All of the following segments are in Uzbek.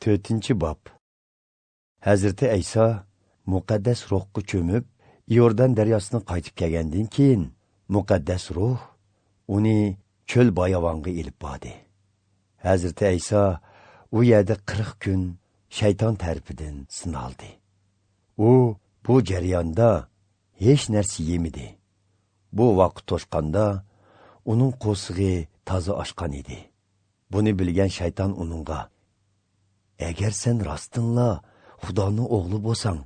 4-bob. Hazrati Ayso muqaddas ruhga cho'mib, Iordan daryosidan qaytib kelgandan keyin muqaddas ruh uni cho'l bayovonga ilib bordi. Hazrati Ayso u yerda 40 kun shayton tarafidan sinaldi. U bu jarayonda hech narsa yemidi. Bu vaqt to'shqanda uning qo'sig'i toza oshgan edi. Buni bilgan shayton uningga: "Agar sen rostdanla Xudoning o'g'li bo'lsang,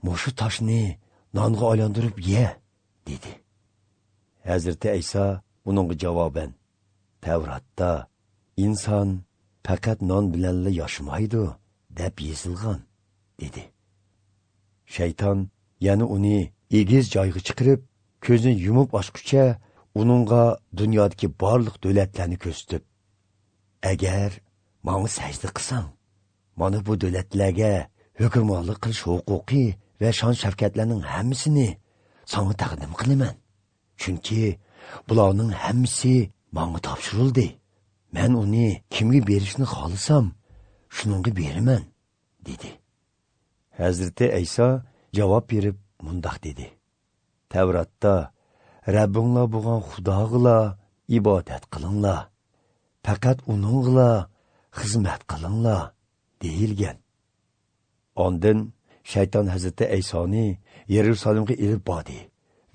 mushu toshni nonga aylantirib ye", dedi. Hazrati Ayso uningga javoban: "Tavratda inson faqat non bilanla yashamaydi deb yozilgan", dedi. Shayton yana uni egiz joyga chiqarib, ko'zini yumib ochguncha uningga dunyodagi barliq davlatlarni ko'rsatib, "Agar menga sajda qilsang, mana bu davlatlarga hukmronlik qilish huquqi va shon-shavkatlarning hammasini sana taqdim qilaman. Chunki bularning hammasi menga topshirildi. Men uni kimga berishni xohlasam, shuningga beraman", dedi. Hazrati Ayso javob berib mundoq dedi: "Tavratda Rabbinglar bo'lgan Xudoga ibodat qilinglar, faqat uningga xizmat qilinglar deyilgan." Ondan shayton Hazrati Aysoni Yerusalimga ilib bordi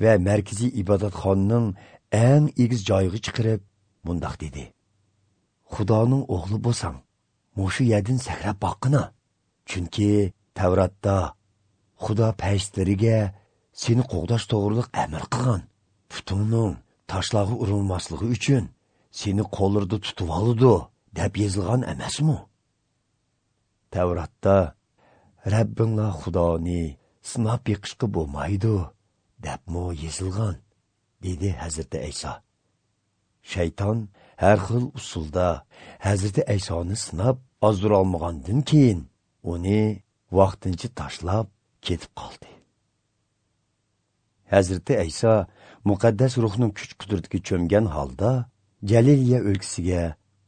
va markaziy ibodatxonaning eng egiz joyiga chiqarib mundoq dedi: "Xudoning o'g'li bo'lsang, mushu yerdan sakrab boqqina. Chunki Tavratda Xudo farishtalariga seni qo'g'dash to'g'riliq amr qilgan. Putingning toshlarga urilmasligi uchun seni qo'llarida tutib oladi deb yozilgan emasmi? Tavratda Rabbinglar Xudoni sinab yiqishga bo'lmaydi debmi yozilgan", dedi Hazrati Ayso. Shayton har xil usulda Hazrati Aysoni sinab ozdira olmagandan keyin uni vaqtincha tashlab ketib qoldi. Hazrati Ayso muqaddas ruhning kuch-qudratiga cho'mgan holda Galiliya o'lkasiga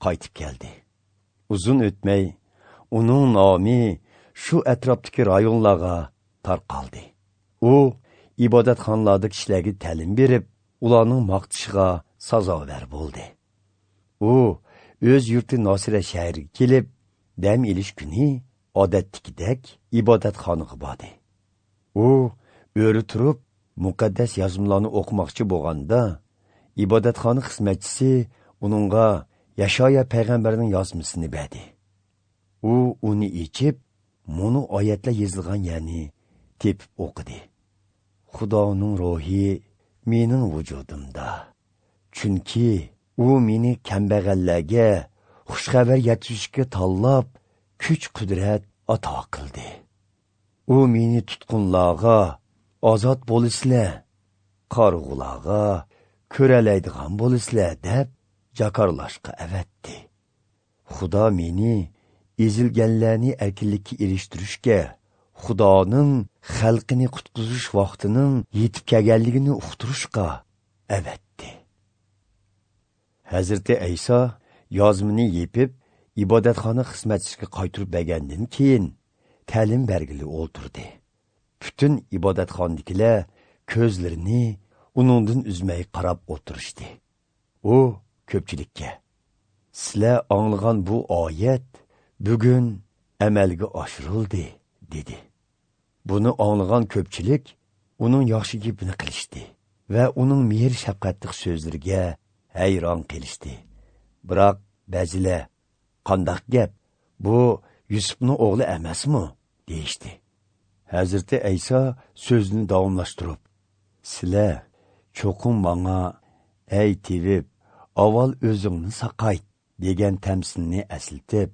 qaytib keldi. Uzun o'tmay uning nomi shu atrofdagi rayonlarga tarqaldi. U ibodatxonalarda kishilarga ta'lim berib, ularning maqtishiga sazovor bo'ldi. U o'z yurti Nosira shahriga kelib, dam elish kuni odatdagidek ibodatxonaga bordi. U o'ri turib muqaddas yozmalarni o'qimoqchi bo'lganda, ibodatxona xizmatchisi uningga Yashoya payg'ambarning yozmasini berdi. U uni ichib, muni oyatlar yozilgan yerni tepib o'qidi. Xudoning ruhi mening vujudimda. Chunki u meni kambag'allarga xushxabar yetkazishga tanlab, kuch-qudrat ato qildi. U meni tutqunlarga ozod bo'lisizlar, qorg'ularga ko'ralaydigan bo'lisizlar deb jakarlashga avatdi. Xudo meni ezilganlarni erkinlikka erishtirishga, Xudoning xalqini qutqizish vaqtining yetib kelganligini uqtirishga avatdi. Hazrati Ayso yozmini yepib, ibodatxona xizmatchisiga qaytarib bergandan keyin ta'lim bergili o'ltirdi. Bütün ibodatxonadagilar ko'zlarini uningdan uzmay qarab o'tirishdi. U ko'pchilikka: "Sizlar anglagan bu oyat bugun amalga oshirildi", dedi. Buni anglagan ko'pchilik uning yaxshi gapini qilishdi va uning mehr shafqatli so'zlariga hayron qilishdi. Biroq ba'zilar: "Qandoq gap? Bu Yusufning o'g'li emasmi?" deyishdi. Hazrati Ayso so'zini davomlashtirib: "Sizlar cho'qim manga ey tevib, avval o'zingni saqayt degan tamsilni eslatib,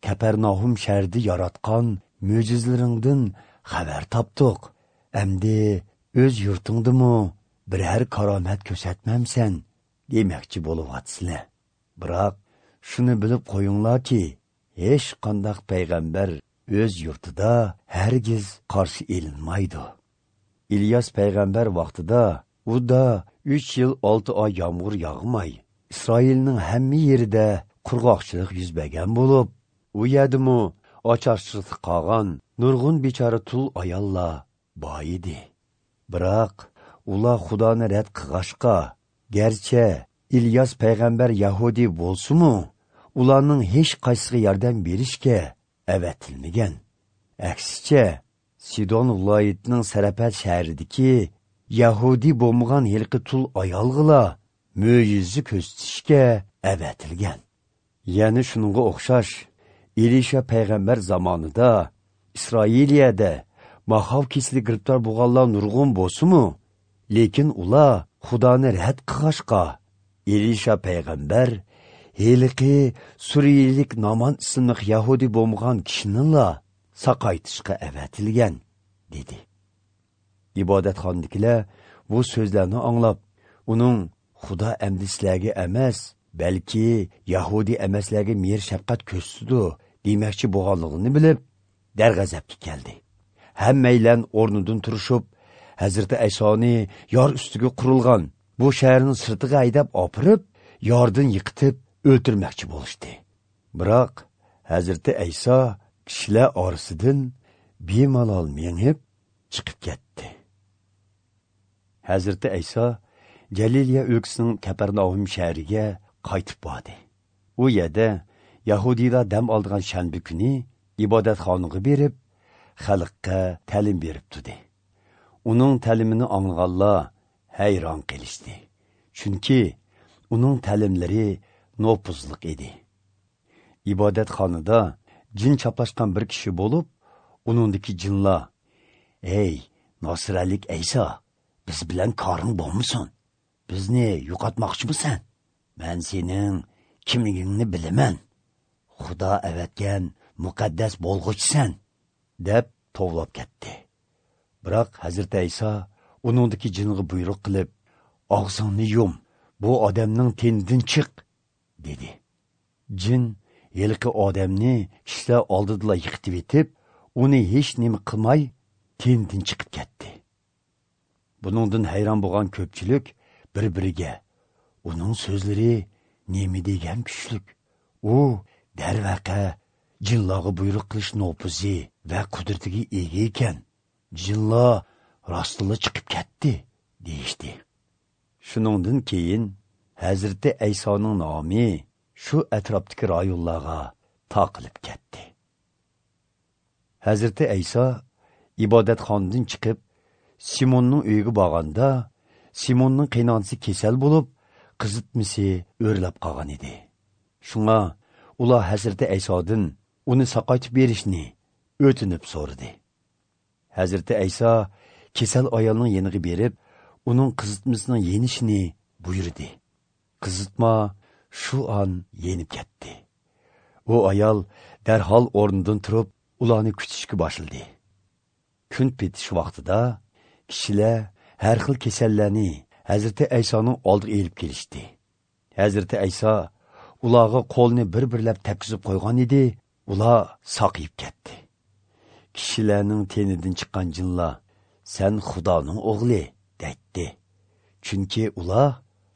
Kapernaum shahrida yaratgan mo'jizalaringdan xabar topdik. Endi o'z yurtingdimi biror karomat ko'rsatmamsan demoqchi bo'lyapsizlar. Biroq shuni bilib qo'yinglarki, hech qanday payg'ambar o'z yurtida hargiz qarshi elinmaydi. İlyas payg'ambar vaqtida u da 3 yil 6 oy yomg'ir yog'may, Isroilning hamma yerida qurg'oqchilik yuz bergan bo'lib, u yerdimi Acharchilikda qolgan nurg'un bechora tul ayollar bor edi. Biroq ular Xudoni rad qilg'ashqa, garchi İlyas payg'ambar Yahudi bo'lsa-mu, ularning hech qaysiga yordam berishga avatilmagan. Aksicha, Sidon viloyatining Sarafat shahridagi Yahudi bo'lmagan heliqi tul ayolg'ila mo'jiza ko'rsatishga avatilgan. Ya'ni shunga o'xshash Elisha payg'ambar zamonida Isroiliyada mahav kesili giribtor bo'lganlar nurg'un bo'lsa-mu, lekin ular Xudoni rad qilg'ashqa Elisha payg'ambar heliqi Suriyalik Naman ismli Yahudi bo'lmagan kishinila saqaytishga avatilgan, dedi. Ibodatxonadagilar bu so'zlarni anglab, uning Xudo amdi sizlarga emas, balki Yahudi emaslarga mehr shafqat ko'rsatdi demoqchi bo'lganligini bilib, darg'azabga keldi. Hammaylan o'rnidan turishib, Hazrati Aysoni yor ustiga qurilgan bu shaharning sirtiga haydab opirib, yordan yiqitib o'ltirmoqchi bo'lishdi. Biroq Hazrati Ayso kishilar orasidan bemalol mengib chiqib ketdi. Hazrati Ayso Galiliya o'lkasining Kaparnaum shahriga qaytib bordi. U yerda Yahudiylar dam oldigan shanba kuni ibodatxonaga berib, xalqqa ta'lim berib turdi. Uning ta'limini anglaganlar hayron qilishdi. Chunki uning ta'limlari nopuzliq edi. Ibodatxonada jin chaplashgan bir kishi bo'lib, uningdagi jinlar: "Ey, Nasiralik Ayso, biz bilan koring bo'lmasin. Bizni yo'qotmoqchimisan? Men sening kimligingni bilaman. Xudo avatgan muqaddas bo'lg'uchisan", deb tovlab ketdi. Biroq Hazrati Ayso uningdagi jinga buyruq qilib, "Og'zingni yum, bu odamning tenidan chiq", dedi. Jin yilqi odamni kishilar oldidala yiqitib etib, uni hech nima qilmay tenidan chiqib ketdi. Buningdan hayron bo'lgan ko'pchilik bir-biriga: "Uning so'zlari nima degan kuchlik? U darvaqa jinlarga buyruq qilish nopuzi va qudratiga ega ekan. Jinlar rostila chiqib ketdi", deyishdi. Shuningdan keyin Hazrati Aysoning nomi shu atrofdagi rayonlarga taqilib ketdi. Hazrati Ayso ibodatxonadan chiqib Simonning uyiga borganda, Simonning qaynonasi kasal bo'lib, qizitmasi o'rlab qolgan edi. Shunga ular Hazrati Aysodan uni saqaytib berishni o'tinib so'radi. Hazrati Ayso kasal ayolning yeniga berib, uning qizitmasining yenishini buyurdi. Qizitma shu on yenib ketdi. U ayol darhol o'rnidan turib, ularni kutishga boshladi. Kun petish vaqtida kishilar har xil kasallarni Hazrati Aysoning oldiga elib kelishdi. Hazrati Ayso ularga qo'lni bir-birlab tepkizib qo'ygan edi, ular saqiyib ketdi. Kishilarning tenidan chiqqan jinlar: "Sen Xudoning o'g'li", deydi. Chunki ular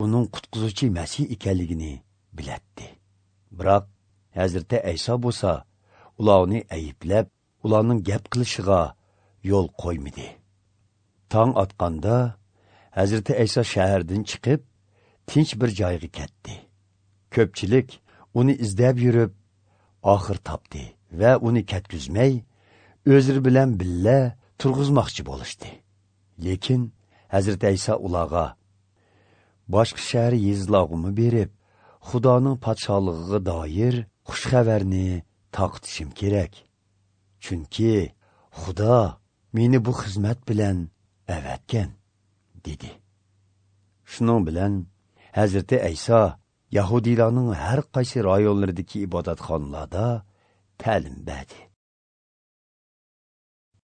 uning qutqizuvchi Masih ekanligini bilatdi. Biroq Hazrati Ayso bo'lsa, ularni ayblab, ularning gap qilishiga yo'l qo'ymadi. Tong otganda Hazrati Ayso shahardan chiqib, tinch bir joyga ketdi. Ko'pchilik uni izlab yurib, oxir topdi va uni ketkizmay, o'zlari bilan billa turg'izmoqchi bo'lishdi. Lekin Hazrati Ayso ularga: "Boshqa shahar yezilarga berib, Xudoning podshohligiga doir xush xabarni taqitishim kerak. Chunki Xudo meni bu xizmat bilan avatgan", dedi. Shuning bilan Hazrati Ayso Yahudiylarning har qaysi rayonlaridagi ibodatxonalarda ta'lim berdi.